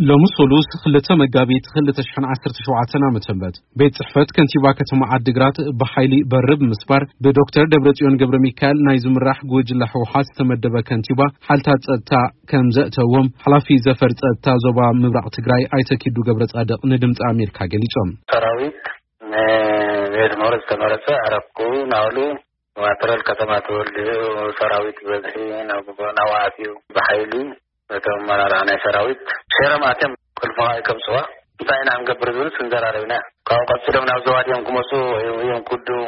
ሎሚ ሰሉስ ክልተ መጋቢት ክልተ ሽሕን ዓሰርተ ሸውዓተን ዓመተ ምህረት ቤት ጽሕፈት ከንቲባ ከተማ ዓዲግራት ብሓይሊ በሪ ብምስባር ብዶክተር ደብረጽዮን ገብረ ሚካኤል ናይ ዝምራሕ ጉጅለ ህወሓት ዝተመደበ ከንቲባ ሓልታት ጸጥታ ከም ዘእተዎም ሓላፊ ዘፈር ጸጥታ ዞባ ምብራቕ ትግራይ ኣይተ ኪዱ ገብረ ጻድቕ ንድምፂ ኣሜሪካ ገሊጾም። ሰራዊት ንቤት ምህሮ ዝተመረጸ ዕረፍኩ ናብሉ ማተረል ከተማ ተወልዱ ሰራዊት በዝሒ ናብ ናብኡ ኣትዩ ብሓይሊ እቶም ኣመራርሓ ናይ ሰራዊት ሸረም ኣትዮም ቁልፊ ከኣ ይከብጽዋ። እንታይ ኢና ክንገብር ዝብል ስንዘራረብና። ካብኡ ቀጺሎም ናብ ዘዋድዮም ክመጹ ወይ እዮም ክውድኡ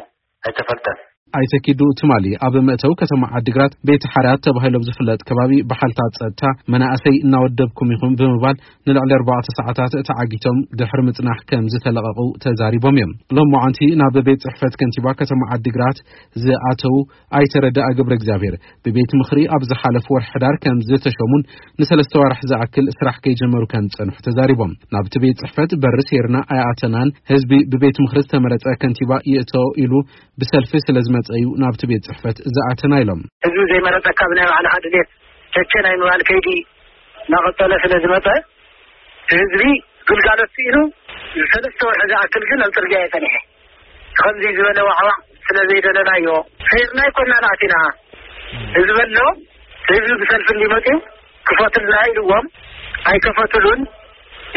ኣይተፈልጠን። ኣይተ ኪዱ ትማሊ ኣብ መእተዊ ከተማ ዓዲግራት ቤት ሓርያት ተባሂሎም ዝፍለጥ ከባቢ ብሓልታት ጸጥታ መናእሰይ እናወደብኩም ኢኹም ብምባል ንልዕሊ ኣርባዕተ ሰዓታት ተዓጊቶም ድሕሪ ምጽናሕ ከም ዝተለቐቑ ተዛሪቦም እዮም። ሎማዓንቲ ናብ ቤት ጽሕፈት ከንቲባ ከተማ ዓዲግራት ዝኣተው ኣይተ ረዳኢ ገብረ እግዚኣብሔር ብቤት ምኽሪ ኣብ ዝሓለፈ ወርሒ ሕዳር ከም ዝተሸሙን ንሰለስተ ወርሒ ዝኣክል ስራሕ ከይጀመሩ ከም ዝጸንሑ ተዛሪቦም። ናብቲ ቤት ጽሕፈት በሪ ሴርና ኣይኣተናን፣ ህዝቢ ብቤት ምኽሪ ዝተመረጸ ከንቲባ ይእቶ ኢሉ ብሰልፊ ስለ ዝመጸ እዩ ናብቲ ቤት ጽሕፈት ዝኣተና ኢሎም። ህዝቢ ዘይመረጸካ ብናይ ባዕልኻ ድሌት ቸቸ ናይ ምባል ከይዲ እናቐጸለ ስለ ዝመጸ፣ ህዝቢ ግልጋሎት ስኢኑ ሰለስተ ወርሒ ዝኣክል ግን ኣብ ጽርግያ እዩ ጸኒሐ። ከምዚ ዝበለ ዋዕዋዕ ስለ ዘይደለናዮ፣ ሴርና ኣይኮናን ኣቲና። ህዝቢ ኣሎ፣ ህዝቢ ብሰልፊ እንዲመጽኡ ክፈቱልና ኢልዎም፣ ኣይከፈቱሉን።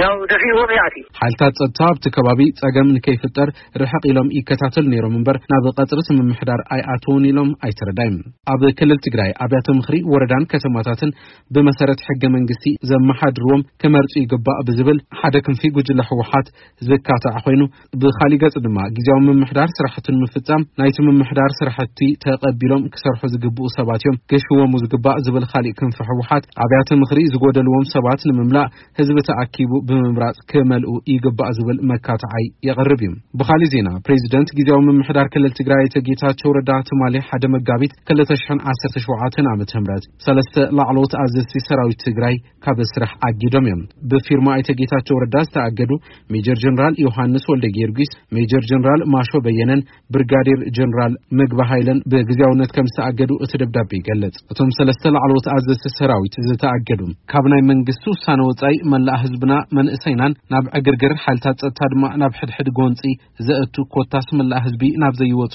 ያው ደፊእዎም ይኣቲ። ሓይልታት ጸጥታ ኣብቲ ከባቢ ጸገም ንከይፍጠር ርሕቕ ኢሎም ይከታተሉ ነይሮም እምበር ናብ ቀጽሪ እቲ ምምሕዳር ኣይኣተውን ኢሎም ኣይተ ረዳይን። ኣብ ክልል ትግራይ ኣብያተ ምኽሪ ወረዳን ከተማታትን ብመሰረት ሕገ መንግስቲ ዘመሓድርዎም ክመርጹ ይግባእ ብዝብል ሓደ ክንፊ ጉጅለ ህወሓት ዝካታዕ ኮይኑ፣ ብኻሊእ ገጽ ድማ ግዝያዊ ምምሕዳር ስራሕቱ ንምፍጻም ናይቲ ምምሕዳር ስራሕቲ ተቐቢሎም ክሰርሑ ዝግብኡ ሰባት እዮም ክሽወሙ ዝግባእ ዝብል ካሊእ ክንፊ ህወሓት፣ ኣብያተ ምኽሪ ዝጎደልዎም ሰባት ንምምላእ ህዝቢ ተኣኪቡ ብምምራጽ ክመልኡ ይግባእ ዝብል መካትዓይ የቕርብ እዩ። ብኻሊእ ዜና፣ ፕሬዚደንት ግዝያዊ ምምሕዳር ክልል ትግራይ ኣይተ ጌታቸው ረዳ ትማሊ ሓደ መጋቢት ክልተ ሽሕን ዓሰርተ ሸውዓተን ዓመተ ምህረት ሰለስተ ላዕለዎት ኣዘዝቲ ሰራዊት ትግራይ ካብ ስራሕ ኣጊዶም እዮም። ብፊርማ ኣይተ ጌታቸው ረዳ ዝተኣገዱ ሜጀር ጀነራል ዮሃንስ ወልደ ጊዮርጊስ፣ ሜጀር ጀነራል ማሾ በየነን ብርጋዴር ጀነራል ምግቢ ሃይለን ብግዝያውነት ከም ዝተኣገዱ እቲ ደብዳቤ ይገልጽ። እቶም ሰለስተ ላዕለዎት ኣዘዝቲ ሰራዊት ዝተኣገዱ ካብ ናይ መንግስቲ ውሳነ ወጻኢ መላእ ህዝብና መንእሰይናን ናብ ዕግርግር ሓይልታት ጸጥታ ድማ ናብ ሕድሕድ ጎንጺ ዘእቱ ኮታስ መላእ ህዝቢ ናብ ዘይወጾ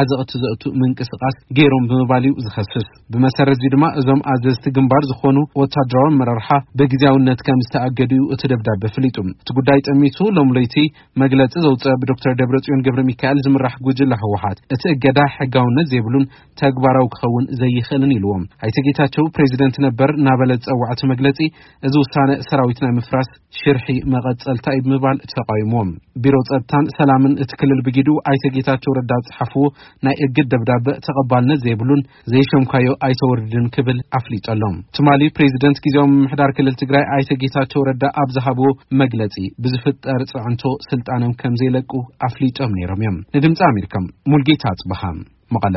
ዓዘቕቲ ዘእቱ ምንቅስቓስ ገይሮም ብምባል እዩ ዝኸስስ። ብመሰረት እዚ ድማ እዞም ኣዘዝቲ ግንባር ዝኾኑ ወታደራዊ ኣመራርሓ ብግዝያውነት ከም ዝተኣገዱ እዩ እቲ ደብዳቤ ኣፍሊጡ። እቲ ጉዳይ ጠሚቱ ሎም ለይቲ መግለጺ ዘውፅአ ብዶክተር ደብረጽዮን ገብረ ሚካኤል ዝምራሕ ጉጅለ ህወሓት እቲ እገዳ ሕጋውነት ዘይብሉን ተግባራዊ ክኸውን ዘይኽእልን ኢልዎም። ኣይተ ጌታቸው ፕሬዚደንት ነበር እናበለ ዝጸውዐ እቲ መግለጺ እዚ ውሳነ ሰራዊት ናይ ምፍራስ ሽርሒ መቐጸልታ እዩ ብምባል ተቃዊምዎም። ቢሮ ጸጥታን ሰላምን እቲ ክልል ብጊዱ ኣይተ ጌታቸው ረዳ ዝጸሓፍዎ ናይ እግድ ደብዳበ ተቐባልነት ዘይብሉን ዘይሸምካዮ ኣይተወርድን ክብል ኣፍሊጠሎም። ትማሊ ፕሬዚደንት ግዝያዊ ምምሕዳር ክልል ትግራይ ኣይተ ጌታቸው ረዳ ኣብ ዝሃብዎ መግለጺ ብዝፍጠር ጽዕንቶ ስልጣኖም ከም ዘይለቁ ኣፍሊጦም ነይሮም እዮም። ንድምፂ ኣሜሪካ ሙልጌታ ኣጽብሃ መቐለ።